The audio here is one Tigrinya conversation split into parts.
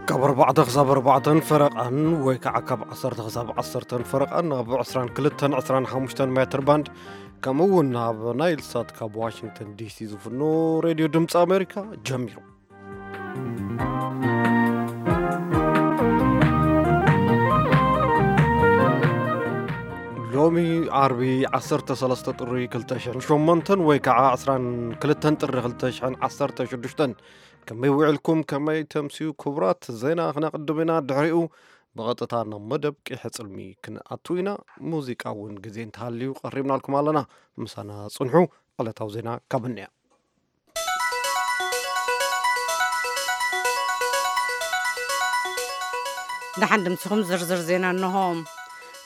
ካብ ኣርባዕተ ክሳብ ኣርባዕተን ፈረቓን ወይ ከዓ ካብ ዓሰርተ ክሳብ ዓሰርተን ፈረቓን ኣብ ዕስራን ክልተን ዕስራን ሓሙሽተን ሜትር ባንድ፣ ከምኡ እውን ኣብ ናይል ሳት ካብ ዋሽንግተን ዲሲ ዝፍኖ ሬድዮ ድምፂ ኣሜሪካ ጀሚሩ። ሎሚ ዓርቢ ዓሰርተ ሰለስተ ጥሪ ክልተ ሽሕን ሸሞንተን ወይ ከዓ ዕስራን ክልተን ጥሪ ክልተ ሽሕን ዓሰርተ ሽዱሽተን። ከመይ ውዕልኩም? ከመይ ተምስዩ? ክቡራት፣ ዜና ክነቕድም ኢና። ድሕሪኡ ብቐጥታ ናብ መደብ ቂሐ ጽልሚ ክንኣቱ ኢና። ሙዚቃ እውን ግዜ እንተሃልዩ ቀሪብናልኩም ኣለና። ምሳና ጽንሑ። ዕለታዊ ዜና ካብ እንያ። ደሓን ድምስኹም። ዝርዝር ዜና እንሆ።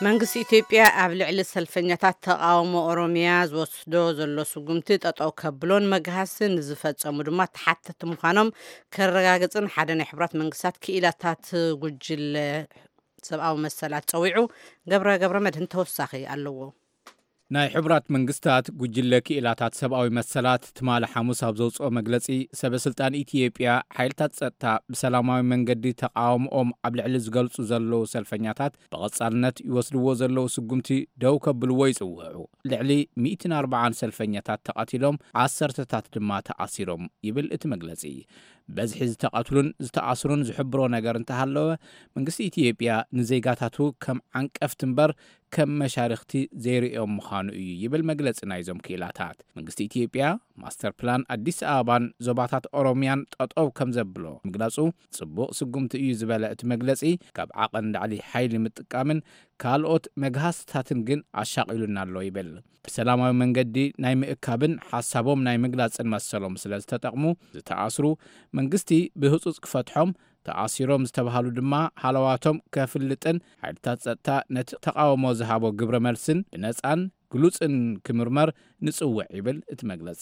መንግስቲ ኢትዮጵያ ኣብ ልዕሊ ሰልፈኛታት ተቃውሞ ኦሮሚያ ዝወስዶ ዘሎ ስጉምቲ ጠጠው ከብሎን መግሃሲ ንዝፈጸሙ ድማ ተሓተቲ ምዃኖም ከረጋግጽን ሓደ ናይ ሕቡራት መንግስታት ክኢላታት ጉጅለ ሰብኣዊ መሰላት ጸዊዑ። ገብረ ገብረ መድህን ተወሳኺ ኣለዎ። ናይ ሕቡራት መንግስታት ጉጅለ ክኢላታት ሰብኣዊ መሰላት ትማሊ ሓሙስ ኣብ ዘውፅኦ መግለፂ፣ ሰበ ስልጣን ኢትዮጵያ ሓይልታት ፀጥታ ብሰላማዊ መንገዲ ተቃውሞኦም ኣብ ልዕሊ ዝገልፁ ዘለዉ ሰልፈኛታት ብቐፃልነት ይወስድዎ ዘለዉ ስጉምቲ ደው ከብልዎ ይፅውዑ። ልዕሊ ሚእትን ኣርባዓን ሰልፈኛታት ተቐቲሎም፣ ዓሰርተታት ድማ ተኣሲሮም ይብል እቲ መግለፂ። በዝሒ ዝተቐትሉን ዝተኣስሩን ዝሕብሮ ነገር እንተሃለወ፣ መንግስቲ ኢትዮጵያ ንዜጋታቱ ከም ዓንቀፍቲ እምበር ከም መሻርኽቲ ዘይርእዮም ምዃኑ እዩ ይብል መግለጺ ናይዞም ክኢላታት። መንግስቲ ኢትዮጵያ ማስተር ፕላን ኣዲስ ኣበባን ዞባታት ኦሮሚያን ጠጠው ከም ዘብሎ ምግላጹ፣ ጽቡቕ ስጉምቲ እዩ ዝበለ እቲ መግለጺ፣ ካብ ዓቐን ላዕሊ ሓይሊ ምጥቃምን ካልኦት መግሃስታትን ግን ኣሻቒሉና ኣሎ ይብል። ብሰላማዊ መንገዲ ናይ ምእካብን ሓሳቦም ናይ ምግላጽን መሰሎም ስለ ዝተጠቕሙ ዝተኣስሩ፣ መንግስቲ ብህጹጽ ክፈትሖም፣ ተኣሲሮም ዝተባሃሉ ድማ ሃለዋቶም ከፍልጥን ሓይልታት ጸጥታ ነቲ ተቓውሞ ዝሃቦ ግብረ መልስን ብነጻን ግሉጽን ክምርመር ንጽውዕ ይብል እቲ መግለጺ።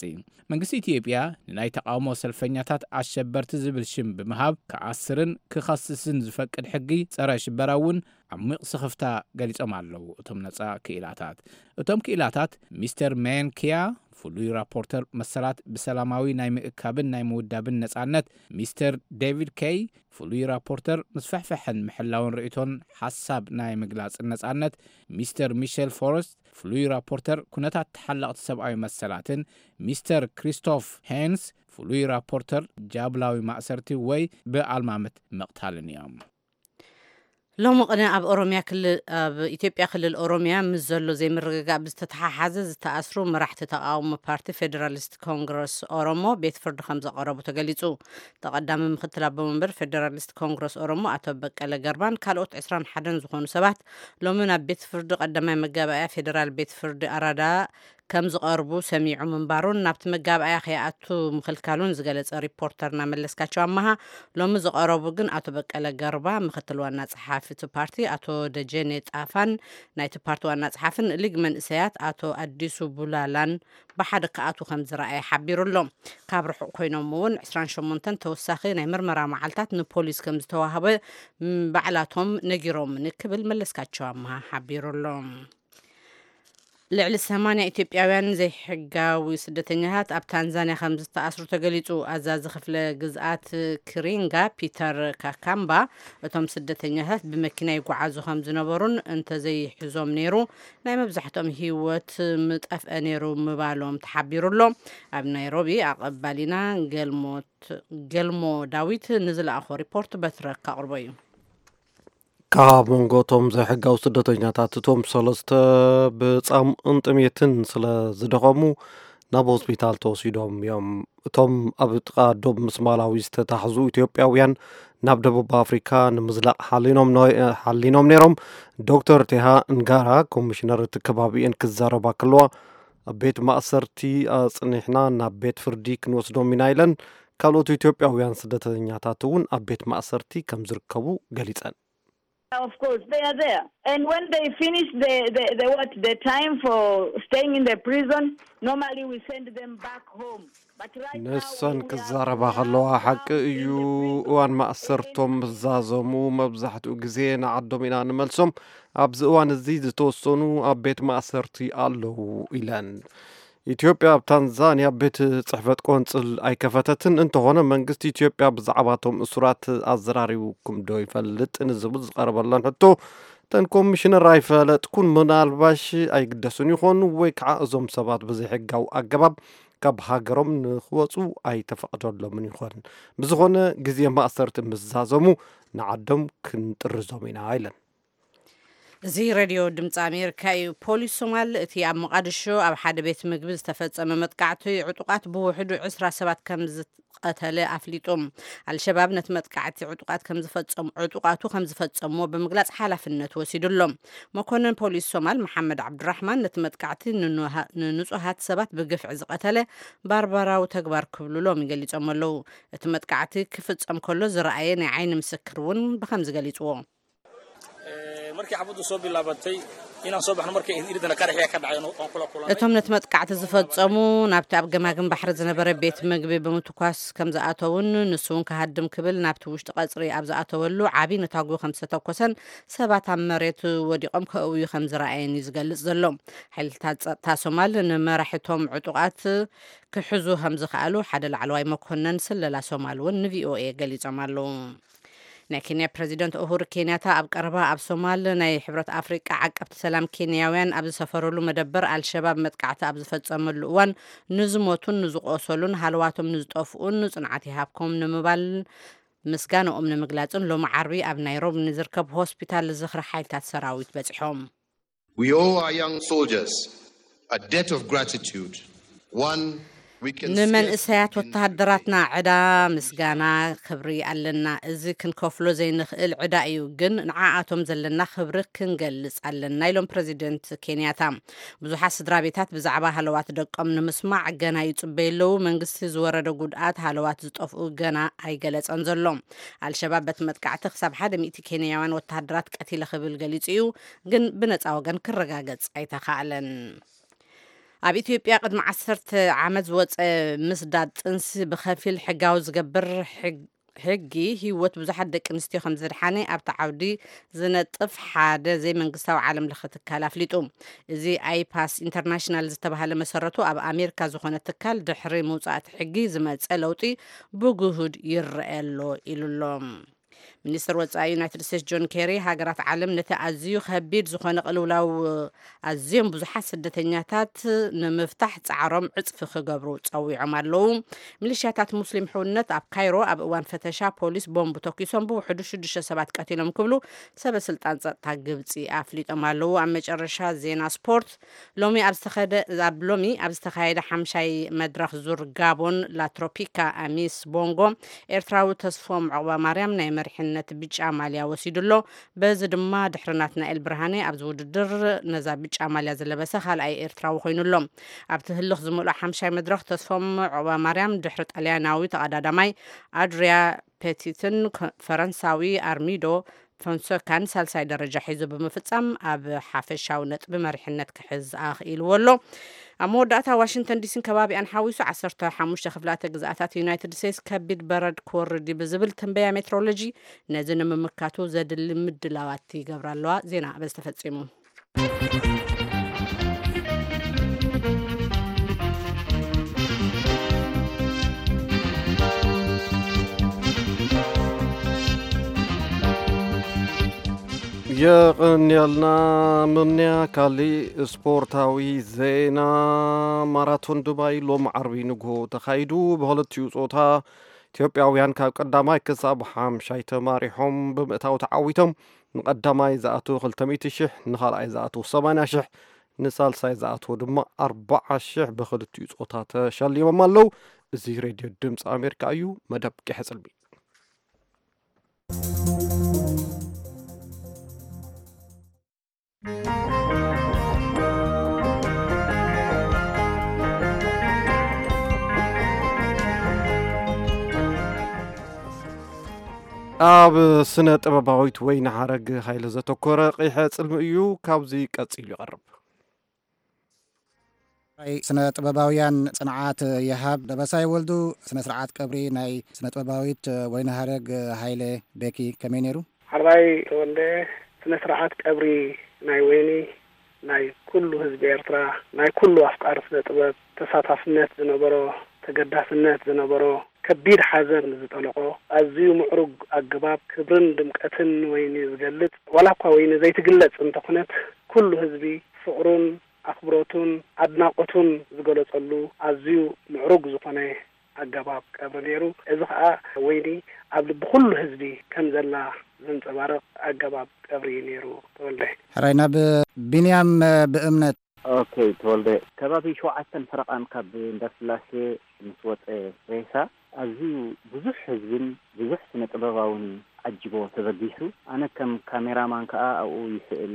መንግስቲ ኢትዮጵያ ንናይ ተቓውሞ ሰልፈኛታት ኣሸበርቲ ዝብል ሽም ብምሃብ ክኣስርን ክኸስስን ዝፈቅድ ሕጊ ጸረ ሽበራ እውን ዓሚቕ ስኽፍታ ገሊጾም ኣለዉ እቶም ነጻ ክኢላታት። እቶም ክኢላታት ሚስተር ሜን ኪያ፣ ፍሉይ ራፖርተር መሰላት ብሰላማዊ ናይ ምእካብን ናይ ምውዳብን ነጻነት፣ ሚስተር ዴቪድ ኬይ፣ ፍሉይ ራፖርተር ምስፍሕፍሕን ምሕላውን ርእይቶን ሓሳብ ናይ ምግላጽን ነጻነት፣ ሚስተር ሚሸል ፎረስት፣ ፍሉይ ራፖርተር ኩነታት ተሓለቕቲ ሰብኣዊ መሰላትን፣ ሚስተር ክሪስቶፍ ሄንስ፣ ፍሉይ ራፖርተር ጃብላዊ ማእሰርቲ ወይ ብኣልማምት ምቕታልን እዮም። ሎሚ ቅነ ኣብ ኦሮሚያ ክልል፣ ኣብ ኢትዮጵያ ክልል ኦሮሚያ ምስ ዘሎ ዘይምርግጋእ ብዝተተሓሓዘ ዝተኣስሩ መራሕቲ ተቃውሞ ፓርቲ ፌዴራሊስት ኮንግረስ ኦሮሞ ቤት ፍርዲ ከም ዘቐረቡ ተገሊጹ። ተቐዳሚ ምክትል ኣቦ መንበር ፌዴራሊስት ኮንግረስ ኦሮሞ ኣቶ በቀለ ገርባን ካልኦት ዕስራን ሓደን ዝኾኑ ሰባት ሎሚ ናብ ቤት ፍርዲ ቀዳማይ መጋባእያ ፌዴራል ቤት ፍርዲ ኣራዳ ከም ዝቐርቡ ሰሚዑ ምንባሩን ናብቲ መጋባእያ ከይኣቱ ምኽልካሉን ዝገለጸ ሪፖርተርና መለስካቸው ኣመሃ፣ ሎሚ ዝቐረቡ ግን ኣቶ በቀለ ገርባ፣ ምክትል ዋና ጸሓፊ እቲ ፓርቲ፣ ኣቶ ደጀኔ ጣፋን ናይቲ ፓርቲ ዋና ጸሓፍን ሊግ መንእሰያት ኣቶ ኣዲሱ ቡላላን ብሓደ ክኣትዉ ከም ዝረኣየ ሓቢሩ ኣሎ። ካብ ርሑቕ ኮይኖም እውን ዕስራን ሸሞንተን ተወሳኺ ናይ ምርመራ መዓልታት ንፖሊስ ከም ዝተዋህበ፣ ም፣ ባዕላቶም ነጊሮምኒ ክብል መለስካቸው ኣመሃ ሓቢሩ ኣሎ። ልዕሊ ሰማንያ ኢትዮጵያውያን ዘይሕጋዊ ስደተኛታት ኣብ ታንዛንያ ከም ዝተኣስሩ ተገሊጹ። ኣዛዚ ክፍለ ግዝኣት ክሪንጋ ፒተር ካካምባ፣ እቶም ስደተኛታት ብመኪና ይጓዓዙ ከም ዝነበሩን እንተዘይሕዞም ነይሩ ናይ መብዛሕትኦም ህይወት ምጠፍአ ነይሩ ምባሎም ተሓቢሩ ኣሎ። ኣብ ናይሮቢ ኣቐባሊና ገልሞት-፣ ገልሞ ዳዊት ንዝለኣኾ ሪፖርት በትረ ካቕርቦ እዩ። ካብ መንጎ እቶም ዘይሕጋዊ ስደተኛታት እቶም ሰለስተ ብጻምእን ጥሜትን ስለ ዝደኸሙ ናብ ሆስፒታል ተወሲዶም እዮም። እቶም ኣብ ጥቓ ዶብ ምስ ማላዊ ዝተታሕዙ ኢትዮጵያውያን ናብ ደቡብ ኣፍሪካ ንምዝላቕ ሓሊኖም ነ-፣ ሓሊኖም ነይሮም። ዶክተር ቴሃ እንጋራ፣ ኮሚሽነር እቲ ከባቢኤን ክዛረባ ከለዋ፣ ኣብ ቤት ማእሰርቲ ኣጽኒሕና ናብ ቤት ፍርዲ ክንወስዶም ኢና ኢለን። ካልኦት ኢትዮጵያውያን ስደተኛታት እውን ኣብ ቤት ማእሰርቲ ከም ዝርከቡ ገሊጸን። Of course, they are there. And when they finish the, the, the what, the time for staying in the prison, normally we send them back home. But right now, ንሰን we, we are, ክዛረባ we are ከለዋ ሓቂ now እዩ። in the prison እዋን ማእሰርቶም area. ዝዛዘሙ መብዛሕትኡ ግዜ ንዓዶም ኢና ንመልሶም። ኣብዚ እዋን እዚ ዝተወሰኑ ኣብ ቤት ማእሰርቲ ኣለዉ ኢለን። ኢትዮጵያ ኣብ ታንዛንያ ቤት ጽሕፈት ቆንጽል ኣይከፈተትን። እንተኾነ መንግስቲ ኢትዮጵያ ብዛዕባቶም እሱራት ኣዘራሪቡኩም ዶ ይፈልጥ ንዝብል ዝቐረበለን ሕቶ፣ እተን ኮሚሽነር ኣይፈለጥኩን፣ ምናልባሽ ኣይግደሱን ይኾኑ ወይ ከዓ እዞም ሰባት ብዘይሕጋዊ ኣገባብ ካብ ሃገሮም ንክወፁ ኣይተፈቕደሎምን ይኾን። ብዝኾነ ግዜ ማእሰርቲ ምስ ዛዘሙ ንዓዶም ክንጥርዞም ኢና ኢለን። እዚ ሬድዮ ድምፂ ኣሜሪካ እዩ። ፖሊስ ሶማል እቲ ኣብ መቓድሾ ኣብ ሓደ ቤት ምግቢ ዝተፈጸመ መጥቃዕቲ ዕጡቓት ብውሕዱ ዕስራ ሰባት ከም ዝቐተለ ኣፍሊጡ። ኣልሸባብ ነቲ መጥቃዕቲ ዕጡቓት ከም ዝፈጸሙ፣ ዕጡቓቱ ከም ዝፈጸምዎ ብምግላጽ ሓላፍነት ወሲዱ ኣሎ። መኮንን ፖሊስ ሶማል መሓመድ ዓብዱራሕማን ነቲ መጥቃዕቲ ንኑሃ-፣ ንንጹሃት ሰባት ብግፍዒ ዝቐተለ ባርባራዊ ተግባር ክብሉ ሎሚ ገሊጾም ኣለዉ። እቲ መጥቃዕቲ ክፍጸም ከሎ ዝረኣየ ናይ ዓይኒ ምስክር እውን ብኸምዚ ገሊጽዎ። Ee, markii xabaddu soo bilaabatay, inaan soo baxno markay iridana qaraxyaa ka dhacay, waan kula kulannay. እቶም ነቲ መጥቃዕቲ ዝፈጸሙ ናብቲ ኣብ ገማግም ባሕሪ ዝነበረ ቤት ምግቢ ብምትኳስ ከም ዝኣተውን ንሱ እውን ክሃድም ክብል ናብቲ ውሽጢ ቀጽሪ ኣብ ዝኣተወሉ ዓቢ ነታጒ ከም ዝተተኮሰን ሰባት ኣብ መሬት ወዲቖም ከእውዩ ከም ዝረኣየን እዩ ዝገልጽ ዘሎ። ሓይልታት ጸጥታ ሶማል ንመራሕቶም ዕጡቓት ክሕዙ ከም ዝኸኣሉ ሓደ ላዕለዋይ መኮነን ስለላ ሶማል እውን ንቪኦኤ ገሊጾም ኣለዉ። ናይ ኬንያ ፕረዚደንት ኡሁሩ ኬንያታ ኣብ ቀረባ ኣብ ሶማል ናይ ሕብረት ኣፍሪቃ ዓቀብቲ ሰላም ኬንያውያን ኣብ ዝሰፈረሉ መደበር ኣልሸባብ መጥቃዕቲ ኣብ ዝፈጸመሉ እዋን ንዝሞቱን ንዝቆሰሉን ሃለዋቶም ንዝጠፍኡን ጽንዓት ይሃብኩም ንምባል ምስጋንኦም ንምግላጽን ሎሚ ዓርቢ ኣብ ናይሮቢ ንዝርከብ ሆስፒታል ዝኽሪ ሓይልታት ሰራዊት በጺሖም። We owe our young soldiers a debt of gratitude, one we can ንመንእሰያት scarcely begin to ወተሃደራትና repay. ዕዳ ምስጋና ክብሪ ኣለና። እዚ ክንከፍሎ ዘይንኽእል ዕዳ እዩ፣ ግን ንዓኣቶም ዘለና ክብሪ ክንገልጽ ኣለና ኢሎም ፕረዚደንት ኬንያታ። ብዙሓት ስድራ ቤታት ብዛዕባ ሃለዋት ደቆም ንምስማዕ ገና ይጽበዩ ኣለዉ። መንግስቲ ዝወረደ ጉድኣት ሃለዋት ዝጠፍኡ ገና ኣይገለጸን ዘሎ። ኣልሸባብ በቲ መጥቃዕቲ ክሳብ ሓደ ሚእቲ ኬንያውያን ወተሃደራት ቀቲለ ክብል ገሊጹ እዩ፣ ግን ብነጻ ወገን ክረጋገጽ ኣይተኻእለን። ኣብ ኢትዮጵያ ቅድሚ ዓሰርተ ዓመት ዝወጸ ምስዳድ ጥንሲ ብኸፊል ሕጋዊ ዝገብር ሕግ-፣ ሕጊ ህይወት ብዙሓት ደቂ ኣንስትዮ ከም ዘድሓነ ኣብቲ ዓውዲ ዝነጥፍ ሓደ ዘይመንግስታዊ ዓለም ለኸ ትካል ኣፍሊጡ። እዚ ኣይፓስ ኢንተርናሽናል ዝተባህለ መሰረቱ ኣብ ኣሜሪካ ዝኾነ ትካል ድሕሪ ምውጻእ እቲ ሕጊ ዝመጸ ለውጢ ብግሁድ ይረአ ኣሎ ኢሉ ኣሎ። ሚኒስትር ወጻኢ ዩናይትድ ስቴትስ ጆን ኬሪ ሃገራት ዓለም ነቲ ኣዝዩ ከቢድ ዝኾነ ቅልውላው ኣዝዮም ብዙሓት ስደተኛታት ንምፍታሕ ጻዕሮም ዕጽፊ ክገብሩ ጸዊዖም ኣለዉ። ሚሊሽያታት ሙስሊም ሕውነት ኣብ ካይሮ ኣብ እዋን ፈተሻ ፖሊስ ቦምብ ተኩሶም ብውሕዱ ሽዱሽተ ሰባት ቀቲሎም ክብሉ ሰበ ስልጣን ጸጥታ ግብጺ ኣፍሊጦም ኣለዉ። ኣብ መጨረሻ ዜና ስፖርት። ሎሚ ኣብ ዝተኸደ-፣ ኣብ ሎሚ ኣብ ዝተኻየደ ሓምሻይ መድረኽ ዙር ጋቦን ላትሮፒካ ኣሚስ ቦንጎ ኤርትራዊ ተስፎም ዑቕባ ማርያም ናይ መሪሕነት ብጫ ማልያ ወሲዱ ኣሎ። በዚ ድማ ድሕሪ ናትናኤል ብርሃነ ኣብዚ ውድድር ነዛ ብጫ ማልያ ዝለበሰ ካልኣይ ኤርትራዊ ኮይኑ ኣሎ። ኣብቲ ህልኽ ዝመልኦ ሓምሻይ መድረኽ ተስፎም ዑቕባ ማርያም ድሕሪ ጣልያናዊ ተቐዳዳማይ ኣድሪያ ፔቲትን ከ-፣ ፈረንሳዊ ኣርሚዶ ፎንሰካን ሳልሳይ ደረጃ ሒዙ ብምፍጻም ኣብ ሓፈሻዊ ነጥቢ መሪሕነት ክሕዝ ኣኽኢልዎ ኣሎ። ኣብ መወዳእታ ዋሽንግተን ዲሲን ከባቢኣን ሓዊሱ ዓሰርተ ሓሙሽተ ክፍላተ ግዝኣታት ዩናይትድ ስቴትስ ከቢድ በረድ ክወርድ እዩ ብዝብል ትንበያ ሜትሮሎጂ ነዚ ንምምካቱ ዘድሊ ምድላዋት ይገብራ ኣለዋ። ዜና በዚ ተፈጺሙ። የቐንየልና ምንያ። ካሊእ ስፖርታዊ ዜና። ማራቶን ዱባይ ሎም ዓርቢ ንግሆ ተኻይዱ። ብክልቲኡ ጾታ ኢትዮጵያውያን ካብ ቀዳማይ ክሳብ ሓምሻይ ተማሪሖም ብምእታው ተዓዊቶም። ንቐዳማይ ዝኣተዉ ክልተ ሚእቲ ሽሕ፣ ንኻልኣይ ዝኣተዉ ሰማንያ ሽሕ፣ ንሳልሳይ ዝኣተዉ ድማ ኣርብዓ ሽሕ ብክልቲኡ ጾታ ተሸሊሞም ኣለዉ። እዚ ሬድዮ ድምፂ ኣሜሪካ እዩ። መደብ ቂሐ ጽልሚ። ኣብ ስነ ጥበባዊት ወይኒ ሓረግ ሃይለ ዘተኮረ ቂሐ ጽልሚ እዩ፣ ካብዚ ቀጺሉ ይቐርብ። ናይ ስነ ጥበባውያን ጽንዓት ይሃብ ደበሳይ ወልዱ፣ ስነ ስርዓት ቀብሪ ናይ ስነ ጥበባዊት ወይኒ ሓረግ ሃይለ ቤኪ ከመይ ነይሩ? ሓራይ ተወልደ፣ ስነ ስርዓት ቀብሪ ናይ ወይኒ ናይ ኩሉ ህዝቢ ኤርትራ፣ ናይ ኩሉ ኣፍቃሪ ስነ ጥበብ ተሳታፍነት ዝነበሮ፣ ተገዳስነት ዝነበሮ፣ ከቢድ ሓዘን ዝጠለቖ፣ ኣዝዩ ምዕሩግ ኣገባብ ክብርን ድምቀትን ንወይኒ ዝገልጽ፣ ዋላ እኳ ወይኒ ዘይትግለጽ እንተኾነት፣ ኩሉ ህዝቢ ፍቕሩን ኣኽብሮቱን ኣድናቖቱን ዝገለጸሉ ኣዝዩ ምዕሩግ ዝኾነ ኣገባብ ቀብሪ ነይሩ። እዚ ኸኣ ወይኒ ኣብ ልቢ ኩሉ ህዝቢ ከም ዘላ ዘንጸባርቕ ኣገባብ ቀብሪ እዩ ነይሩ። ተወልደ። ሕራይ ናብ ቢንያም ብእምነት። ኦኬ ተወልደ፣ ከባቢ ሸውዓተን ፈረቓን ካብ እንዳስላሴ ምስ ወጸ ሬሳ ኣዝዩ ብዙሕ ህዝብን ብዙሕ ስነ ጥበባውን ዓጅቦ ተበጊሱ። ኣነ ከም ካሜራማን ከኣ ኣብኡ ይስእል፣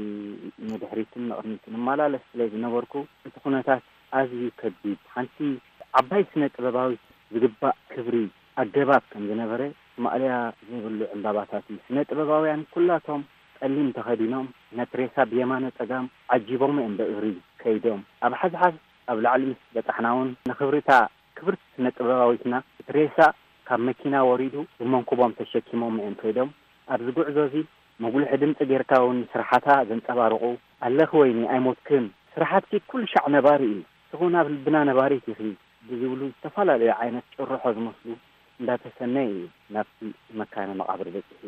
ንድሕሪትን ንቕድሚትን እመላለስ ስለ ዝነበርኩ እቲ ኩነታት ኣዝዩ ከቢድ። ሓንቲ ዓባይ ስነ ጥበባዊት ዝግባእ ክብሪ ኣገባብ ከም ዝነበረ ማእለያ ዘይብሉ ዕምባባታት እዩ። ስነ ጥበባውያን ኩላቶም ጸሊም ተኸዲኖም ነቲ ሬሳ ብየማነ ጸጋም ዓጂቦም እዮም ብእግሪ ከይዶም። ኣብ ሓዝሓዝ ኣብ ላዕሊ ምስ በጻሕና እውን ንኽብሪታ ክብርቲ ስነ ጥበባዊትና እቲ ሬሳ ካብ መኪና ወሪዱ ብመንኩቦም ተሸኪሞም እዮም ከይዶም። ኣብዚ ጉዕዞ እዚ መጉልሒ ድምጺ ጌርካ እውን ስራሓታ ዘንጸባርቑ ኣለኺ ወይኒ ኣይሞትክን፣ ስራሓትኪ ኩሉ ሻዕ ነባሪ እዩ፣ ንስኺ እውን ኣብ ልብና ነባሪት ኢኺ ብዝብሉ ዝተፈላለዩ ዓይነት ጭርሖ ዝመስሉ እንዳተሰነየ እዩ ናብቲ መካነ መቓብር በጺሑ።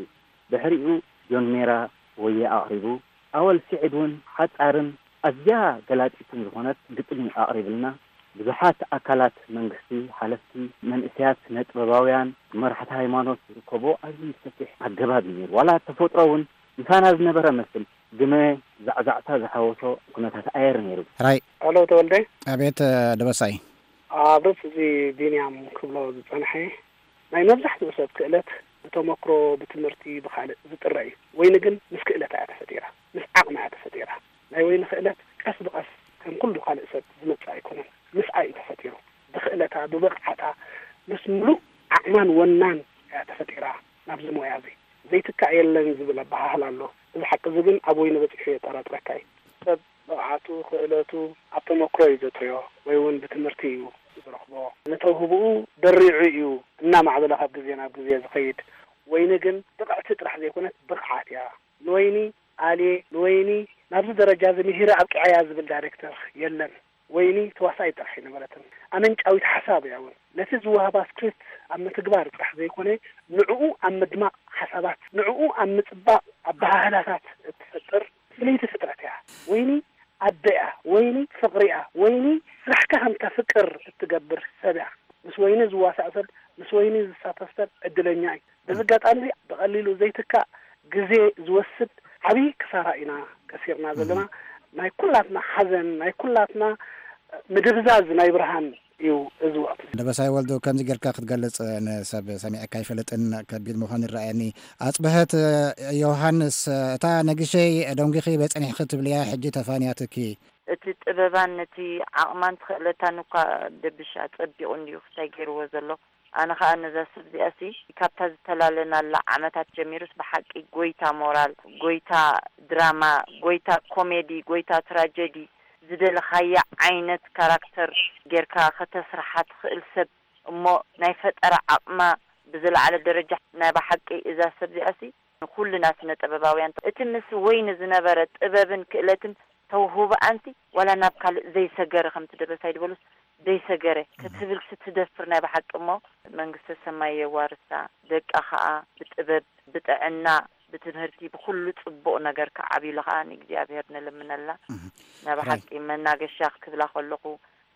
ድሕሪኡ ጆን ሜራ ወየ ኣቕሪቡ። ኣወል ስዒድ እውን ሓጻርን ኣዝያ ገላጺትን ዝኾነት ግጥሚ ኣቕሪብልና። ብዙሓት ኣካላት መንግስቲ፣ ሓለፍቲ፣ መንእሰያት፣ ስነ ጥበባውያን፣ መራሕቲ ሃይማኖት ዝርከቦ ኣዝዩ ሰፊሕ ኣገባብ እዩ ነይሩ። ዋላ ተፈጥሮ እውን ምሳና ዝነበረ መስል ግመ ዛዕዛዕታ ዝሓወሶ ኩነታት ኣየር ነይሩ። ሕራይ። ሄሎ ተወልደ። ኣቤት ደበሳይ። ኣብ ርእሲ እዚ ቢንያም ክብሎ ዝጸንሐ ናይ መብዛሕትኡ ሰብ ክእለት ብተመክሮ፣ ብትምህርቲ፣ ብኻልእ ዝጥረ እዩ። ወይኒ ግን ምስ ክእለታ እያ ተፈጢራ፣ ምስ ዓቕማ እያ ተፈጢራ። ናይ ወይኒ ክእለት ቀስ ብቐስ ከም ኩሉ ካልእ ሰብ ዝመጽእ ኣይኮነን። ምስኣ እዩ ተፈጢሩ። ብክእለታ፣ ብብቕዓታ፣ ምስ ምሉእ ዓቕማን ወናን እያ ተፈጢራ ናብዚ ሞያ እዚ። ዘይትካእ የለን ዝብል ኣበሃህላ ኣሎ። እዚ ሓቂ እዚ ግን ኣብ ወይኒ በጺሑ የጠራጥረካ እዩ። ሰብ ብቕዓቱ፣ ክእለቱ ኣብ ተመክሮ እዩ ዘጥርዮ ወይ እውን ብትምህርቲ እዩ ዝረኽቦ። ንተውህብኡ ደሪዑ እዩ እናማዕበለ ካብ ግዜ ናብ ግዜ ዝኸይድ። ወይኒ ግን ብቕዕቲ ጥራሕ ዘይኮነት ብቕዓት እያ። ንወይኒ ኣልየ፣ ንወይኒ ናብዚ ደረጃ እዚ ምሂረ ኣብቂዐያ ዝብል ዳይሬክተር የለን። ወይኒ ተዋሳኢት ጥራሕ ኣይነበረትን። ኣመንጫዊት ሓሳብ እያ እውን። ነቲ ዝወሃባ ስክሪፕት ኣብ ምትግባር ጥራሕ ዘይኮነ፣ ንዕኡ ኣብ ምድማቕ ሓሳባት፣ ንዕኡ ኣብ ምጽባቕ ኣበሃህላታት እትፈጥር ፍልይቲ ፍጥረት እያ። ወይኒ ኣደ እያ፣ ወይኒ ፍቕሪ እያ፣ ወይኒ ስራሕካ ከም ተፍቅር እትገብር ሰብ እያ። ምስ ወይኒ ዝዋሳእ ሰብ፣ ምስ ወይኒ ዝሳተፍ ሰብ ዕድለኛ እዩ። በዚ ኣጋጣሚ እዚ ብቐሊሉ ዘይትካእ ግዜ ዝወስድ ዓብዪ ክሳራ ኢና ከሲርና ዘለና። ናይ ኩላትና ሓዘን፣ ናይ ኩላትና ምድብዛዝ ናይ ብርሃን እዩ እዚ ወቕቲ። ደበሳይ ወልዱ፣ ከምዚ ጌርካ ክትገልጽ ንሰብ ሰሚዐካ ኣይፈልጥን፣ ከቢድ ምዃኑ ይረኣየኒ። ኣጽብሀት ዮሃንስ፣ እታ ነጊሸይ ደንጒኺ በጸኒሕኺ ትብልያ ሕጂ ተፋንያትኪ። እቲ ጥበባን ነቲ ዓቕማን ትኽእለታን እኳ ደብሽ ኣጸቢቑ እንድዩ ክታይ ገይርዎ ዘሎ። ኣነ ኸኣ ነዛ ሰብ እዚኣሲ ካብታ ዝተላለናላ ዓመታት ጀሚሩስ ብሓቂ ጎይታ ሞራል፣ ጎይታ ድራማ፣ ጎይታ ኮሜዲ፣ ጎይታ ትራጀዲ፣ ዝደለኻያ ዓይነት ካራክተር ጌርካ ከተስርሓ ትኽእል ሰብ እሞ ናይ ፈጠራ ዓቕማ ብዝለዓለ ደረጃ። ናይ ብሓቂ እዛ ሰብ እዚኣሲ ንኹልና ስነ ጥበባውያን እቲ ምስ ወይኒ ዝነበረ ጥበብን ክእለትን ተውህቦኣንሲ ዋላ ናብ ካልእ ዘይሰገረ ከምቲ ደበሳይ ዝበሉስ ዘይሰገረ ክትብል ስትደፍር ናይ ብሓቂ እሞ መንግስተ ሰማይ የዋርሳ። ደቃ ኸኣ ብጥበብ ብጥዕና ብትምህርቲ ብኹሉ ጽቡቕ ነገር ክዓብዩሉ ኸኣ ንእግዚኣብሔር ንልምነላ። ናይ ብሓቂ መናገሻ ክትብላ ከለኹ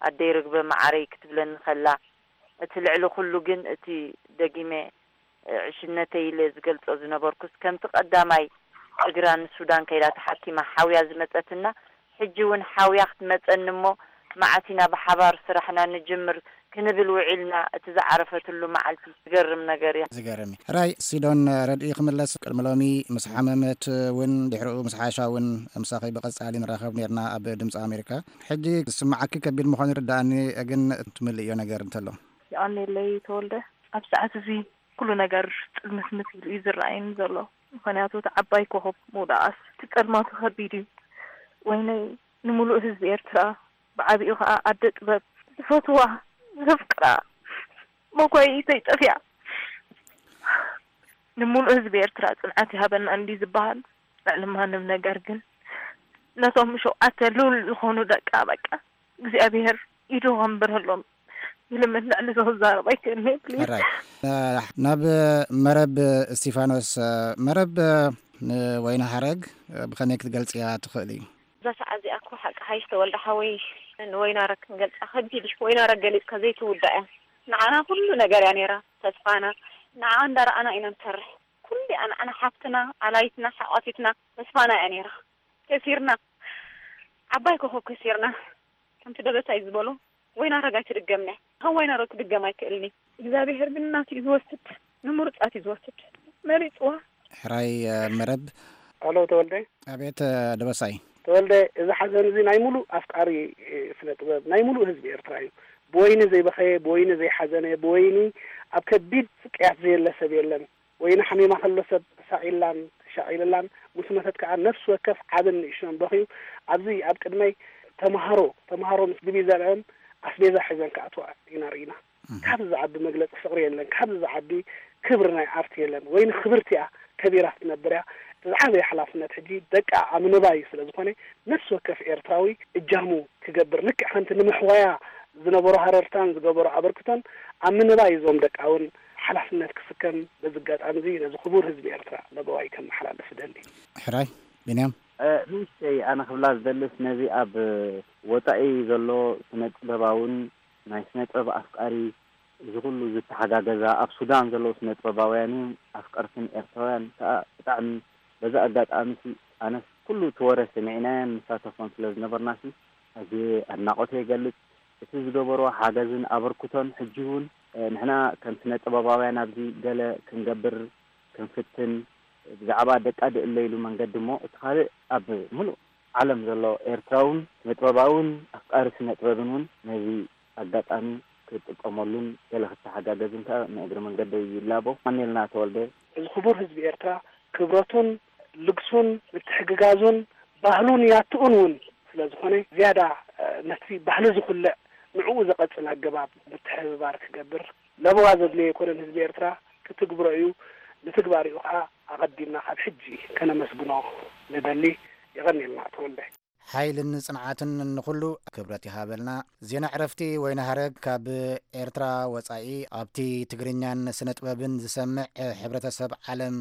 ኣደይ ርግበ መዓረይ ክትብለኒ ከላ እቲ ልዕሊ ኩሉ ግን እቲ ደጊመ ዕሽነተይ ኢለ ዝገልጾ ዝነበርኩስ ከምቲ ቀዳማይ እግራ ንሱዳን ከይዳ ተሓኪማ ሓውያ ዝመጸትና ሕጂ እውን ሓውያ ክትመጸኒ እሞ መዓስ ኢና ብሓባር ስራሕና ንጅምር ክንብል ውዒልና። እቲ ዝዓረፈትሉ መዓልቲ ዝገርም ነገር እያ። ዝገርም እዩ። ሕራይ ሲዶን ረድኢ ክምለስ ቅድሚ ሎሚ ምስ ሓመመት እውን ድሕሪኡ ምስ ሓሻ እውን ምሳኺ ብቐጻሊ ንራኸብ ነርና ኣብ ድምፂ ኣሜሪካ። ሕጂ ዝስምዓኪ ከቢድ ምዃኑ ይርድኣኒ፣ ግን ትምልእዮ ነገር እንተሎ። የቐኔለይ ተወልደ፣ ኣብ ሰዓት እዚ ኩሉ ነገር ጽልምትምት ኢሉ እዩ ዝረኣየኒ ዘሎ። ምኽንያቱ እቲ ዓባይ ኮኾብ ምውዳቓስ እቲ ጸልማቱ ከቢድ እዩ። ወይነይ ንምሉእ ህዝቢ ኤርትራ፣ ብዓቢኡ ከኣ ኣደ ጥበብ፣ ዝፈትዋ፣ ዘፍቅራ፣ መጓይኢተይ ጠፊኣ። ንምሉእ ህዝቢ ኤርትራ ጽንዓት ይሃበና እንዲ ዝበሃል፣ ልዕሊ ማንም ነገር ግን ነቶም ሸውዓተ ልዑል ዝኾኑ ደቃ በቃ እግዚኣብሔር ኢዱ ከንብረሎም ይልምን። ልዕሊ እዚ ክዛረብ ኣይክእልን እየ፣ ፕሊዝ። ሕራይ። ናብ መረብ እስቲፋኖስ። መረብ፣ ንወይኒ ሓረግ ብኸመይ ክትገልጽያ ትኽእሊ? እዛ ሰዓት እዚኣ እኮ ሓቂ ሓይሽ ተወልደ ሓወይ፣ ንወይናረግ ክንገልጻ ከቢድ እዩ። ወይናረግ ገሊጽካ ዘይትውዳእ እያ። ንዓና ኩሉ ነገር እያ ነይራ፣ ተስፋና። ንዓ እንዳረኣና ኢና ንሰርሕ። ኩሉ እያ ንዓና ሓፍትና፣ ኣላይትና፣ ሓቋፊትና፣ ተስፋና እያ ነይራ። ከሲርና። ዓባይ ኮኾብ ከሲርና። ከምቲ ደበሳይ ዝበሎ፣ ወይናረግ ኣይትድገምና። ከም ወይናረግ ክድገም ኣይክእልን እዩ። እግዚኣብሔር ግን ናቱ እዩ ዝወስድ፣ ንምሩጻት እዩ ዝወስድ። መሪጽዋ። ሕራይ፣ እ፣ መረብ። ኣሎ ተወልደ። ኣቤት፣ እ፣ ደበሳይ። ተወልደ፣ እዚ ሓዘን እዚ ናይ ሙሉእ ኣፍቃሪ፣ እ፣ ስነ ጥበብ፣ ናይ ሙሉእ ህዝቢ ኤርትራ እዩ። ብወይኒ ዘይበኸየ፣ ብወይኒ ዘይሓዘነ፣ ብወይኒ ኣብ ከቢድ ስቅያት ዘየለ ሰብ የለን። ወይኒ ሓሚማ ከሎ ሰብ ተሳቒላን ተሻቒልላን ምስ መተት ከኣ ነፍሲ ወከፍ ዓብን ንእሽቶን በኽዩ። ኣብዚ ኣብ ቅድመይ ተምሃሮ፣ ተምሃሮ ምስ ድቪዛኦም ኣስቤዛ ሒዘን ክኣትዋ ኢና ርኢና። እህ። ካብዚ ዝዓቢ መግለጺ ፍቕሪ የለን። ካብዚ ዝዓቢ ክብሪ ናይ ዓርኪ የለን። ወይኒ ክብርቲ እያ፣ ከቢራ ክትነብር እያ። እቲ ዝዓበየ ሓላፍነት ሕጂ ደቃ ኣብ ምንባይ ስለ ዝኾነ፣ ነፍሲ ወከፍ ኤርትራዊ እጃሙ ክገብር፣ ልክዕ ከምቲ ንምሕዋያ ዝነበሮ ሃረርታን ዝገበሮ ኣበርክቶን ኣብ ምንባይ እዞም ደቃ እውን ሓላፍነት ክስከም በዚ ኣጋጣሚ እዚ ነዚ ክቡር ህዝቢ ኤርትራ ለበዋይ ከመሓላልፍ እደሊ። ሕራይ ቢንያም። እ፣ ንእሽተይ ኣነ ክብላ ዝደልስ ነዚ ኣብ ወጻኢ ዘሎ ስነ ጥበባውን ናይ ስነ ጥበብ ኣፍቃሪ እዚ ኩሉ ዝተሓጋገዛ ኣብ ሱዳን ዘለዉ ስነ ጥበባውያንን ኣፍቀርትን ኤርትራውያን ከኣ ብጣዕሚ በዚ ኣጋጣሚ ሲ ኣነስ ኩሉ እቲ ወረ ሰሚዕናዮን ንሳተፎን ስለ ዝነበርና ሲ ኣዝየ ኣድናቖተይ እገልጽ። እቲ ዝገበርዎ ሓገዝን ኣበርክቶን ሕጂ እውን፣ እ፣ ንሕና ከም ስነ ጥበባውያን ኣብዚ ገለ ክንገብር ክንፍትን ብዛዕባ ደቃ ድእለ ኢሉ መንገዲ እሞ እቲ ካልእ ኣብ ምሉእ ዓለም ዘሎ ኤርትራውን ስነ ጥበባውን ኣፍቃሪ ስነ ጥበብን እውን ነዚ ኣጋጣሚ ክጥቀመሉን ገለ ክተሓጋገዝን ከኣ ንእግሪ መንገደይ ይላቦ። ማኔልና ተወልደ። እዚ ክቡር ህዝቢ ኤርትራ ክብረቱን ልግሱን ምትሕግጋዙን ባህሉን ያትኡን እውን ስለ ዝኾነ ዝያዳ፣ እ፣ ነቲ ባህሊ ዝኹልዕ ንዕኡ ዘቐጽል ኣገባብ ምትሕብባር ክገብር ለበዋ ዘድልዮ ኣይኮነን። ህዝቢ ኤርትራ ክትግብሮ እዩ። ንትግባሪኡ ከኣ ኣቐዲምና ካብ ሕጂ ከነመስግኖ ንደሊ። የቐንየልና ተወልደ። ሓይልን ጽንዓትን ንኹሉ ክብረት ይሃበልና። ዜና ዕረፍቲ ወይኒ ሃረግ ካብ ኤርትራ ወጻኢ ኣብቲ ትግርኛን ስነ ጥበብን ዝሰምዕ ሕብረተሰብ ዓለም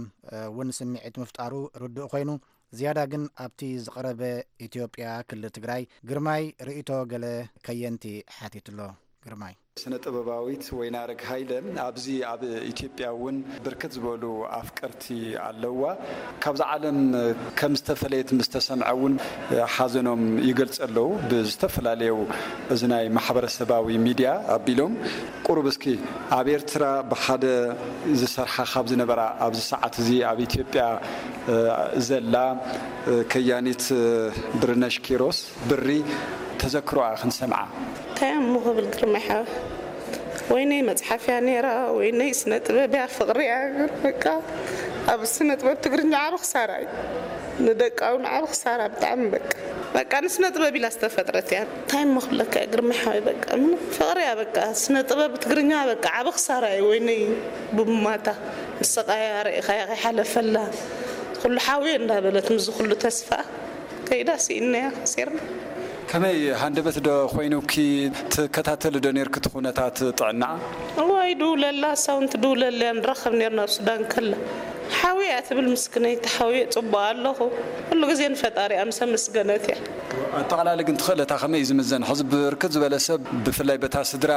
እውን ስምዒት ምፍጣሩ ርዱእ ኮይኑ፣ ዝያዳ ግን ኣብቲ ዝቐረበ ኢትዮጵያ ክልል ትግራይ ግርማይ ርእይቶ ገለ ከየንቲ ሓቲትሎ። ግርማይ። ስነ ጥበባዊት ወይናረግ ሃይለ ኣብዚ ኣብ ኢትዮጵያ እውን ብርክት ዝበሉ ኣፍቀርቲ ኣለዋ። ካብዛ ዓለም ከም ዝተፈለየት ምስ ተሰምዐ እውን ሓዘኖም ይገልጹ ኣለዉ። ብዝተፈላለዩ እዚ ናይ ማሕበረሰባዊ ሚድያ ኣቢሎም ቁሩብ እስኪ ኣብ ኤርትራ ብሓደ ዝሰርሓ ካብ ዝነበራ ኣብዚ ሰዓት እዚ ኣብ ኢትዮጵያ ዘላ ከያኒት ብርነሽ ኪሮስ ብሪ ተዘክሮኣ ክንሰምዓ። እንታይ እሞ ክብል ግርማይ ሓወይ? ወይነይ መጽሓፍ እያ ነይራ፣ ወይነይ ስነ ጥበብ እያ፣ ፍቕሪ እያ። ግን በቃ ኣብ ስነ ጥበብ ትግርኛ ዓቢ ክሳራ እዩ። ንደቃ እውን ዓቢ ክሳራ ብጣዕሚ በቃ። በቃ ንስነ ጥበብ ኢላ ዝተፈጥረት እያ። እንታይ እሞ ክብለካ እየ ግርማይ ሓወይ? በቃ ምንም ፍቕሪ እያ በቃ። ስነ ጥበብ ትግርኛ በቃ ዓቢ ክሳራ እዩ። ወይነይ ብሙማታ ምስቓያ ርኢኻያ ከይሓለፈላ ኩሉ ሓውየ እንዳበለት ምስዚ ኩሉ ተስፋ ከይዳ ስኢንናያ ከሲርና። ከመይ ሃንደበት ዶ ኮይኑኪ ትከታተሊ ዶ ኔርኪ እቲ ኩነታት ጥዕናኣ? እዋይ ድውለላ፣ እሳ እውን ትድውለለያ ንራኸብ ኔርና ኣብ ሱዳን ከላ። ሓውየ እያ ትብል ምስክነይቲ፣ ሓውየ ጽቡቕ ኣለኹ። ኩሉ ግዜ ንፈጣሪኣ ምስ ኣመስገነት እያ። ኣጠቓላሊ ግን ትኽእለታ ከመይ እዩ ዝምዘን? ሕዚ ብርክት ዝበለ ሰብ ብፍላይ በታ ስድራ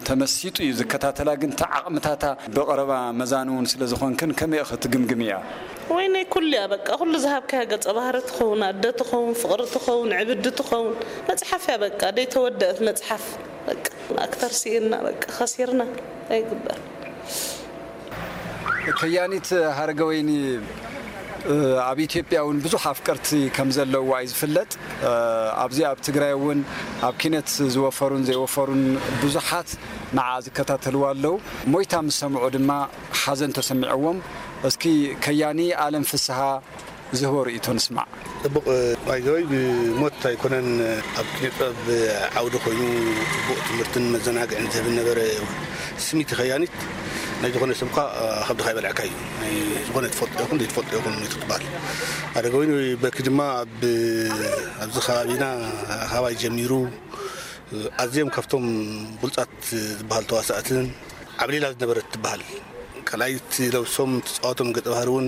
ተመሲጡ እዩ ዝከታተላ፣ ግን እቲ ዓቕምታታ ብቐረባ መዛኒ እውን ስለ ዝኾንክን ከመይ ኢኺ ትግምግምያ? ወይነይ ኩሉ እያ በቃ፣ ኩሉ ዝሃብካያ ገጸ ባህሪ ትኸውን፣ ኣደ ትኸውን፣ ፍቕሪ ትኸውን፣ ዕብዲ ትኸውን፣ መጽሓፍ እያ በቃ፣ ደይተወደአት መጽሓፍ በቃ። ኣክተር ስኢንና በቃ፣ ከሲርና ኣይግበር። ከያኒት ሃረገወይኒ ኣብ ኢትዮጵያ እውን ብዙሕ ኣፍቀርቲ ከም ዘለዋ እዩ ዝፍለጥ። ኣብዚ ኣብ ትግራይ እውን ኣብ ኪነት ዝወፈሩን ዘይወፈሩን ብዙሓት ንዓ ዝከታተልዋ ኣለዉ። ሞይታ ምስ ሰምዑ ድማ ሓዘን ተሰሚዕዎም። እስኪ ከያኒ ኣለም ፍስሃ ዝህቦ ርእይቶ ንስማዕ። ጽቡቕ። ባይዘወይ ብሞት ኣይኮነን። ኣብ ኪነ ጥበብ ዓውዲ ኮይኑ ጽቡቕ ትምህርትን መዘናግዕን ዝህብ ነበረ። ስሚቲ ከያኒት ናይ ዝኾነ ሰብ እኳ ከብድኻ ይበልዐካ እዩ። ናይ ዝኾነ ትፈልጦ ይኹን ዘይትፈልጦ ይኹን ሞይቱ ትበሃል። ኣደገ ኮይኑ በኪ ድማ ኣብ ኣብዚ ከባቢና ካባይ ጀሚሩ ኣዝዮም ካብቶም ብሉጻት ዝበሃል ተዋሳእትን ዓብሊላ ዝነበረት ትበሃል። ካልኣይቲ ለብሶም ትጻወቶም ገጸ ባህሪ እውን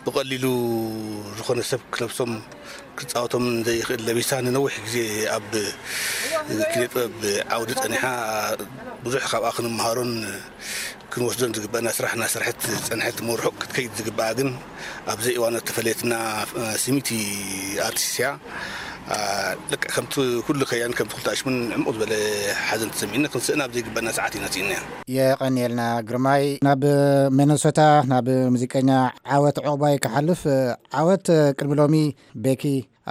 ብቐሊሉ ዝኾነ ሰብ ክለብሶም ክጻወቶም ዘይኽእል ለቢሳ ንነዊሕ ግዜ ኣብ ኪነ ጥበብ ዓውዲ ጸኒሓ ብዙሕ ካብኣ ክንመሃሮን ክንወስዶን ዝግበአና ስራሕ እናሰርሐት ዝጸንሐት እሞ ርሑቕ ክትከይድ ዝግበኣ ግን ኣብ ዘይእዋኑ እተፈለየትና ስሚቲ ኣርቲስት እያ። ልክዕ ከምቲ ኩሉ ከያን ከምቲ ኩሉ ኣሽሙን ዕሙቕ ዝበለ ሓዘን ተሰሚዕና ክንስእና ኣብ ዘይግበአና ሰዓት ኢና ስኢናያ። የቐንየልና ግርማይ። ናብ ሚነሶታ ናብ ሙዚቀኛ ዓወት ዑቕባይ ክሓልፍ። ዓወት ቅድሚ ሎሚ ቤኪ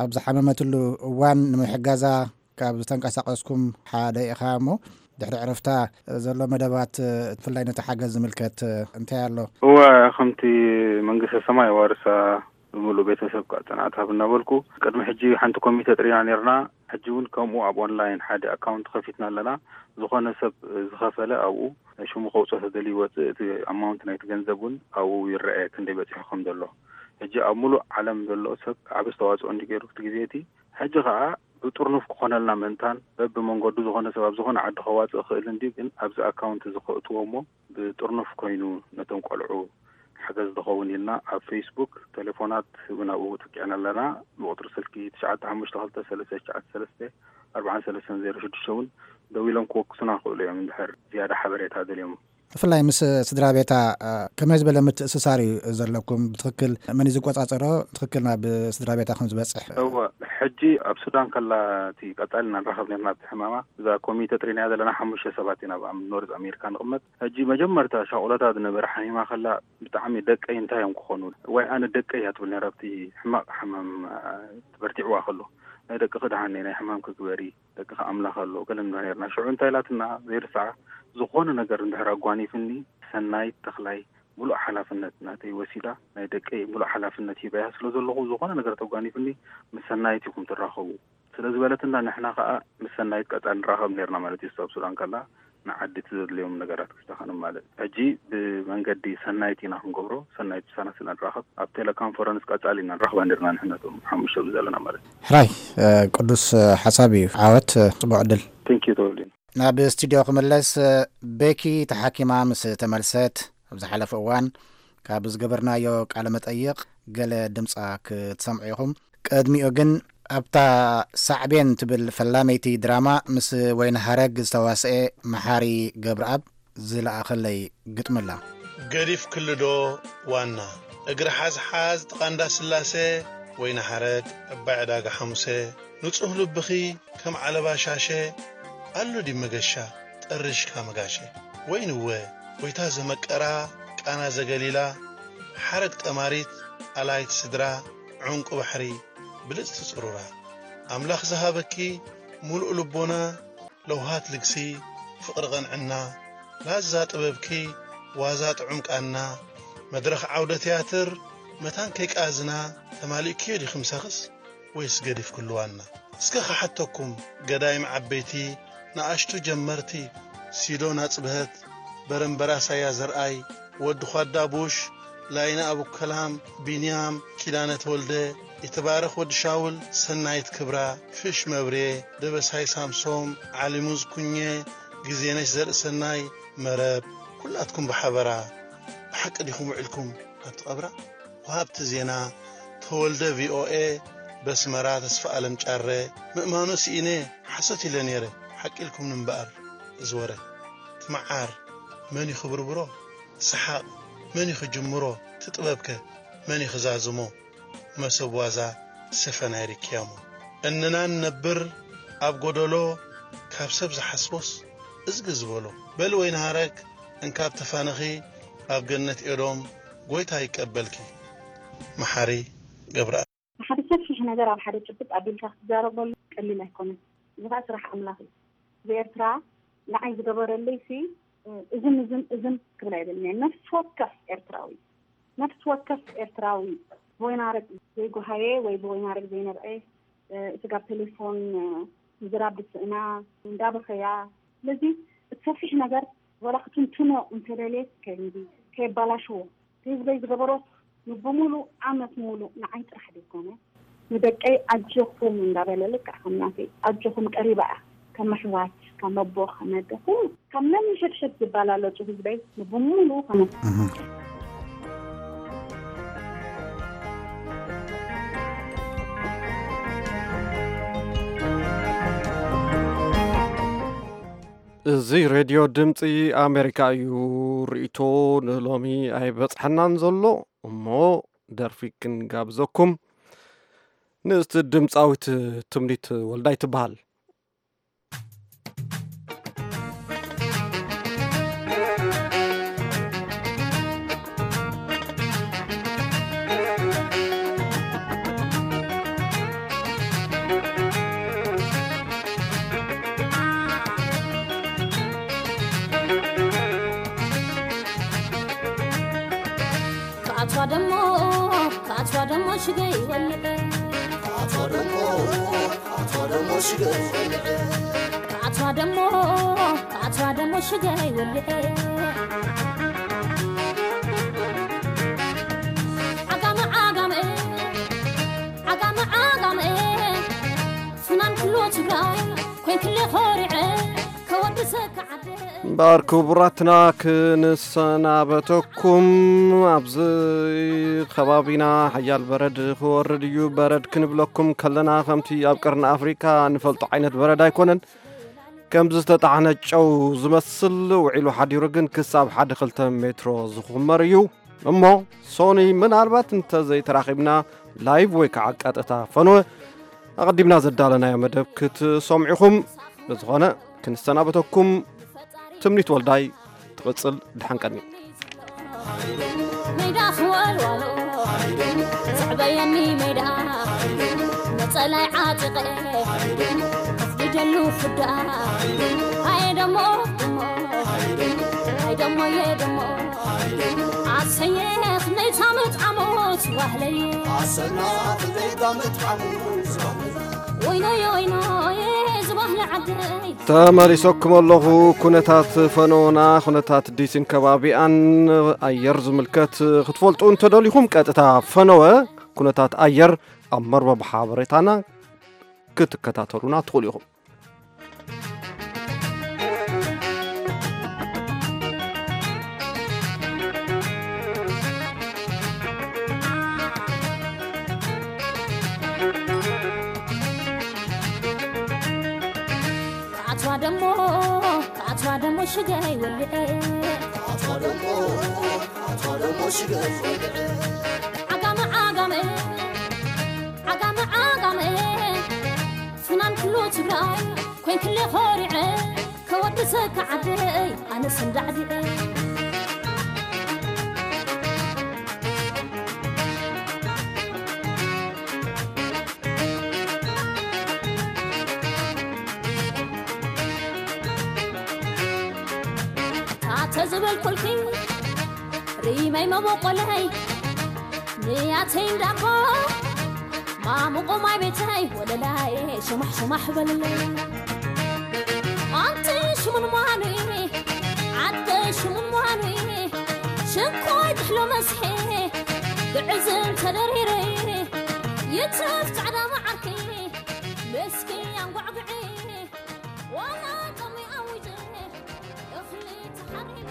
ኣብ ዝሓመመትሉ እዋን ንምሕጋዛ ካብ ዝተንቀሳቐስኩም ሓደ ኢኻ እሞ ድሕሪ ዕረፍታ ዘሎ መደባት ብፍላይ ነቲ ሓገዝ ዝምልከት እንታይ ኣሎ? እወ፣ ከምቲ መንግስተ ሰማይ የዋርሳ ብምሉእ ቤተሰብ ከዓ ጽንዓት ሃብ እናበልኩ ቅድሚ ሕጂ ሓንቲ ኮሚተ ጥሪና ነርና። ሕጂ እውን ከምኡ ኣብ ኦንላይን ሓደ ኣካውንት ከፊትና ኣለና። ዝኾነ ሰብ ዝኸፈለ ኣብኡ ሽሙ ከውፅኦ ተደልዩ ይወፅእ። እቲ ኣማውንት ናይቲ ገንዘብ እውን ኣብኡ ይረአ ክንደይ በፂሑ ከም ዘሎ። ሕጂ ኣብ ሙሉእ ዓለም ዘሎ ሰብ ዓብ ኣስተዋፅኦ እንዲ ገይሩ እቲ ግዜ እቲ ሕጂ ከዓ ብጥርኑፍ ክኾነልና ምእንታን በብመንገዱ ዝኾነ ሰብ ኣብ ዝኾነ ዓዲ ከዋፅእ ክእል እንዲ ግን ኣብዚ ኣካውንት እዚ ከእትዎ እሞ ብጥርኑፍ ኮይኑ ነቶም ቆልዑ ሓገዝ ዝኸውን ኢልና ኣብ ፌስቡክ ቴሌፎናት እውን ኣብኡ ተኪዕና ኣለና። ብቁፅሪ ስልኪ ትሽዓተ ሓሙሽተ ክልተ ሰለስተ ትሽዓተ ሰለስተ ኣርባዓን ሰለስተን ዜሮ ሽዱሽተ እውን ደዊሎም ክወክሱና ክእሉ እዮም እንድሕር ዝያዳ ሓበሬታ ደልዮም። ብፍላይ ምስ ስድራ ቤታ ከመይ ዝበለ ምትእስሳር እዩ ዘለኩም? ብትኽክል መን እዩ ዝቆፃፀሮ? ትኽክል ናብ ስድራ ቤታ ከም ዝበፅሕ? እወ፣ ሕጂ ኣብ ሱዳን ከላ እቲ ቀፃሊ እናንራኸብ ነርና ኣብቲ ሕማማ እዛ ኮሚተ ጥሪናያ ዘለና ሓሙሽተ ሰባት ኢና ኣብ ኖርዝ ኣሜሪካ ንቕመጥ። ሕጂ መጀመርታ ሻቑሎታ ዝነበረ ሓሚማ ከላ ብጣዕሚ ደቀይ እንታይ እዮም ክኾኑ ወይ ኣነ ደቀይ እያ ትብል ነራ ኣብቲ ሕማቕ ሕማም በርቲዕዋ ከሎ ናይ ደቂ ክድሃኒ ናይ ሕማም ክግበሪ ደቂ ኣምላኽ ኣሎ ገለ ንብላ ነርና። ሽዑ እንታይ ኢላትና ዘይርሳዓ ዝኾነ ነገር እንድሕር ኣጓኒፍኒ ሰናይት ተኽላይ ሙሉእ ሓላፍነት ናተይ ወሲዳ ናይ ደቀይ ሙሉእ ሓላፍነት ሂበያ ስለ ዘለኹ ዝኾነ ነገር ተጓኒፍኒ ምስ ሰናይት ኢኹም ትራኸቡ ስለ ዝበለትና ንሕና ከዓ ምስ ሰናይት ቀፃል ንራኸብ ነርና ማለት እዩ። ኣብ ሱዳን ከላ ንዓዲ እቲ ዘድልዮም ነገራት ክስታኸ ንማልእ። ሕጂ ብመንገዲ ሰናይት ኢና ክንገብሮ። ሰናይት ምሳና ስለ ንራኸብ ኣብ ቴሌኮንፈረንስ ቀፃሊ ኢና ንራኽባ ነርና ንሕና እቶም ሓሙሽተ ዘለና ማለት እዩ። ሕራይ ቅዱስ ሓሳብ እዩ። ዓወት፣ ፅቡቅ ዕድል። ቴንኪዩ ተወልዲን። ናብ ስቱድዮ ክምለስ። ቤኪ ተሓኪማ ምስ ተመልሰት ኣብ ዝሓለፈ እዋን ካብ ዝገበርናዮ ቃለ መጠይቕ ገለ ድምጻ ክትሰምዑ ኢኹም። ቅድሚኡ ግን ኣብታ ሳዕቤን ትብል ፈላመይቲ ድራማ ምስ ወይኒ ሃረግ ዝተዋስኤ መሓሪ ገብረኣብ ዝለኣኸለይ ግጥሚ ኣላ። ገዲፍ ክልዶ ዋና እግሪ ሓዝሓዝ ጥቓ እንዳ ስላሴ ወይኒ ሓረግ ዕባይ ዕዳጋ ሓሙሴ ንጹህ ልብኺ ከም ዓለባ ሻሸ ኣሎ ድዩ መገሻ ጠርሽካ መጋሸ ወይንወ ጎይታ ዘመቀራ ቃና ዘገሊላ ሓረግ ጠማሪት ኣላይት ስድራ ዑንቂ ባሕሪ ብልጽቲ ጽሩራ ኣምላኽ ዝሃበኪ ምሉእ ልቦና ለውሃት ልግሲ ፍቕሪ ቐንዕና ላዛ ጥበብኪ ዋዛ ጥዑም ቃና መድረኽ ዓውደ ትያትር መታን ከይቃዝና ተማሊእክዮ ዲኺ ምሳኽስ ወይስ ገዲፍክሉ ዋና? እስከ ክሓተኩም ገዳይም ዓበይቲ ንኣሽቱ ጀመርቲ ሲዶን ኣጽብሀት በረምበራስ ኣያ ዘርኣይ ወዲ ኳዳ ቡሽ ላይነ ኣቡከላም ቢንያም ኪዳነ ተወልደ ይትባረኽ ወዲ ሻውል ሰናይት ክብራ ፍሽ መብሬ ደበሳይ ሳምሶም ዓሊሙዝ ኩኘ ግዜነሽ ዘርእሰናይ መረብ ኩላትኩም ብሓበራ ብሓቂ ዲኹም ውዒልኩም ኣብቲ ቀብራ? ወሃብቲ ዜና ተወልደ ቪኦኤ በስመራ ተስፋኣለም ጫረ ምእማኑ ስኢነ ሓሶት ኢለ ነይረ ሓቂ ኢልኩምኒ እምበኣር እዚ ወረ እቲ መዓር መን እዩ ክብርብሮ እቲ ሰሓቕ መን እዩ ክጅምሮ እቲ ጥበብከ መን እዩ ክዛዝሞ መሶብ ዋዛ ሰፈናይ ርክያሞ እንና ንነብር ኣብ ጎደሎ ካብ ሰብ ዝሓስቦስ እዝጊ ዝበሎ በሊ ወይኒ ሃረግ እንካብ ተፋነኺ ኣብ ገነት ኤዶም ጎይታ ይቀበልኪ። መሓሪ ገብረኣብ። ሓደ ሰፊሕ ነገር ኣብ ሓደ ጭብጥ ኣቢልካ ክትዛረበሉ ቀሊል ኣይኮነን። እዚ ከዓ ስራሕ ኣምላኽ እዩ። ብኤርትራ ንዓይ ዝገበረለይ ሲ እዝን እዝን እዝን ክብል ኣይደልን እየ። ነፍሲ ወከፍ ኤርትራዊ ነፍሲ ወከፍ ኤርትራዊ ብወይናረግ ዘይጎሃየ ወይ ብወይናረግ ዘይነብዐ፣ ስጋብ ቴሌፎን ምዝራብ ብስእና እንዳበኸያ። ስለዚ እቲ ሰፊሕ ነገር ወላ ክትንትኖ እንተደልየ ከይዲ ከየባላሽዎ፣ ህዝበይ ዝገበሮ ንብሙሉእ ዓመት ሙሉእ ንዓይ ጥራሕ ዘይኮነ ንደቀይ ኣጆኹም እንዳበለ ልክዕ ከም ናተይ ኣጆኹም ቀሪባ እያ። ከም ኣሕዋት፣ ከም ኣቦ፣ ከም ኣደ፣ ኩሉ ካብ መን ሸድሸድ ዝባላለጹ ህዝበይ ንብሙሉ ከመ እዚ ሬድዮ ድምፂ ኣሜሪካ እዩ። ርእይቶ ንሎሚ ኣይበፅሐናን ዘሎ እሞ ደርፊ ክንጋብዘኩም። ንእስቲ ድምፃዊት ትምኒት ወልዳይ ትበሃል። ክኣትዋ ደሞ ክኣትዋ ደሞ ሽገይ ወልዕ ክኣትዋ ደሞ ክኣትዋ ደሞ ሽገይ ወልዕ ክኣትዋ ደሞ ክኣትዋ ደሞ ሽገይ ወልዕ ዓጋመ ዓጋመ ዓጋመ ዓጋመ ፍናን ክሎ ትግራይ ኮይንክለ ኾሪዐ ከወድሰካ ዓደ እምበኣር ክቡራትና ክንሰናበተኩም ኣብዚ ከባቢና ሓያል በረድ ክወርድ እዩ። በረድ ክንብለኩም ከለና ከምቲ ኣብ ቀርኒ ኣፍሪካ ንፈልጦ ዓይነት በረድ ኣይኮነን። ከም ዝተጣዕነ ጨው ዝመስል ውዒሉ ሓዲሩ ግን ክሳብ ሓደ ክልተ ሜትሮ ዝኹመር እዩ። እሞ ሶኒ ምናልባት እንተዘይተራኺብና ላይቭ ወይ ከዓ ቀጥታ ፈንወ ኣቐዲምና ዘዳለናዮ መደብ ክትሰምዑኹም ብዝኾነ ክንሰናበተኩም ትምኒት ወልዳይ ትቕጽል ድሓንቀኒ ሜዳ ክወልዋሎ ዘዕበየኒ ሜዳ ነፀላይ ዓጢቐ ከፍድደሉ ፍዳ ሃየ ደሞ ደሞ ሃይ ደሞየ ደሞ ኣሰየ ክንደይ ታመት ዓሞት ዋህለየ ኣሰና ክንደይ ታመት ዓሞት ዋህለየ ወይኖየ ወይኖየ ዝባህሊ ዓደይ ተመሊሰኩም ኣለኹ። ኩነታት ፈነወና፣ ኩነታት ዲሲን ከባቢኣን ኣየር ዝምልከት ክትፈልጡ እንተደሊኹም ቀጥታ ፈነወ ኩነታት ኣየር ኣብ መርበብ ሓበሬታና ክትከታተሉና ትኽእሉ ኢኹም። ኣትዋ ደሞ ኣትዋ ደሞ ሽገይ ወልዐ ኣትዋ ደሞ ኣትዋ ደሞ ሽገይ ወልዐ ዓጋመ ዓጋመ ዓጋመ ዓጋመ ፍናን ኩሉ ትግራይ ኮይንክለ ኾሪዐ ከወድሰካ ዓደይ ኣነስ እንዳዕዲዐ ታተ ዝበልኩልኪ ሪመይ መበቆለይ ንያተይ እንዳቦ ማሙቆ ማይ ቤተይ ወለላይ ሽማሕ ሽማሕ በልለይ ኣንቲ ሽሙን ሟኑ ዓደ ሽሙን ሟኑ ሽኮይ ትሕሎ መስሐ ብዕዝም ተደሪረ ይትረፍ ጻዕዳ መዓርኪ መስኪ ኣንጓዕጉዒ ዋላ ጦሚ ኣውጀ እኽሊ ተሓሪመ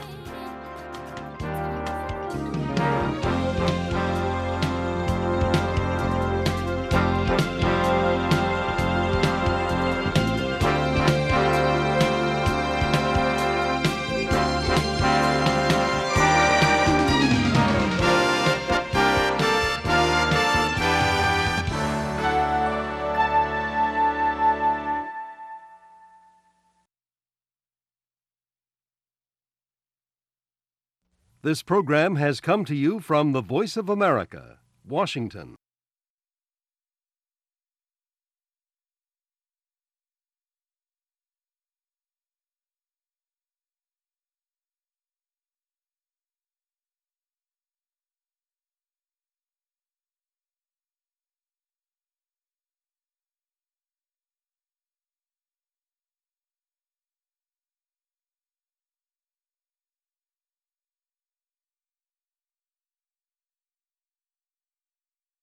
This program has come to you from the Voice of America, Washington.